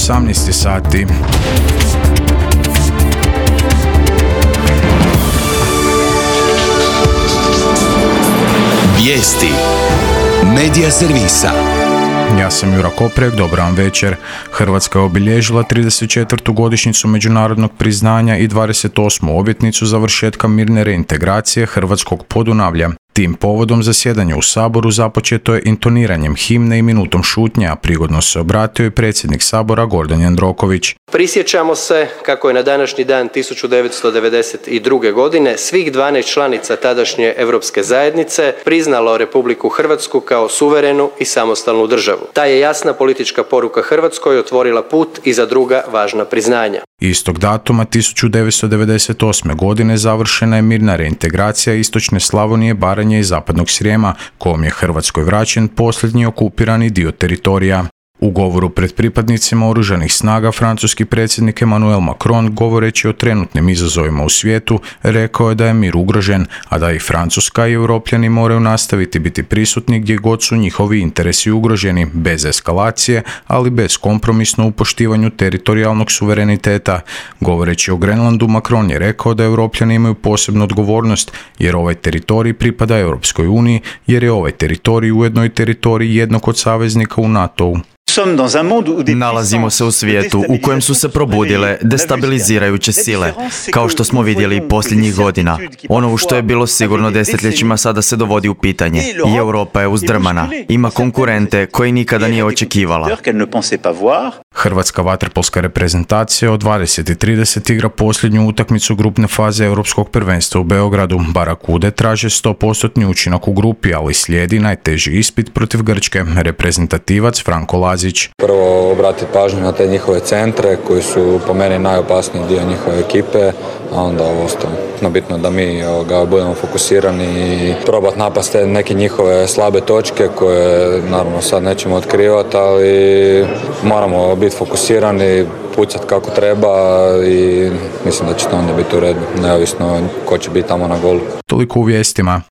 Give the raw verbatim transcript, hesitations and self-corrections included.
osamnaest sati. Vijesti Medija servisa. Ja sam Jura Koprek, dobar vam večer. Hrvatska je obilježila trideset četvrtu godišnjicu međunarodnog priznanja i dvadeset osmu obljetnicu završetka mirne reintegracije hrvatskog Podunavlja. Tim povodom zasjedanje u Saboru započeto je intoniranjem himne i minutom šutnje, a prigodno se obratio i predsjednik Sabora Gordan Jandroković. Prisjećamo se kako je na današnji dan tisuću devetsto devedeset druge. godine svih dvanaest članica tadašnje Europske zajednice priznalo Republiku Hrvatsku kao suverenu i samostalnu državu. Ta je jasna politička poruka Hrvatskoj otvorila put i za druga važna priznanja. Istog datuma tisuću devetsto devedeset osme. godine završena je mirna reintegracija istočne Slavonije, Baranje i zapadnog Srijema, kojom je Hrvatskoj vraćen posljednji okupirani dio teritorija. U govoru pred pripadnicima oružanih snaga francuski predsjednik Emmanuel Macron, govoreći o trenutnim izazovima u svijetu, rekao je da je mir ugrožen, a da i Francuska i Europljani moraju nastaviti biti prisutni gdje god su njihovi interesi ugroženi, bez eskalacije, ali bez kompromisno u poštivanju teritorijalnog suvereniteta. Govoreći o Grenlandu, Macron je rekao da Europljani imaju posebnu odgovornost, jer ovaj teritorij pripada Europskoj uniji, jer je ovaj teritorij ujedno i teritorij jednog od saveznika u NATO-u. Nalazimo se u svijetu u kojem su se probudile destabilizirajuće sile, kao što smo vidjeli posljednjih godina. Ono u što je bilo sigurno desetljećima sada se dovodi u pitanje i Europa je uzdrmana. Ima konkurente koje nikada nije očekivala. Hrvatska vaterpolska reprezentacija od dvadeset i trideset igra posljednju utakmicu grupne faze Europskog prvenstva u Beogradu. Barakude traže sto posto učinak u grupi, ali slijedi najteži ispit protiv Grčke. Reprezentativac Franko Lazić. Prvo obratiti pažnju na te njihove centre koji su po meni najopasniji dio njihove ekipe, a onda ovo ostalo. No, bitno da mi ga budemo fokusirani i probati napasti neke njihove slabe točke koje naravno sad nećemo otkrivati, ali moramo biti fokusirani, pucati kako treba i mislim da će to onda biti u redu, neovisno ko će biti tamo na golu. Toliko u vijestima.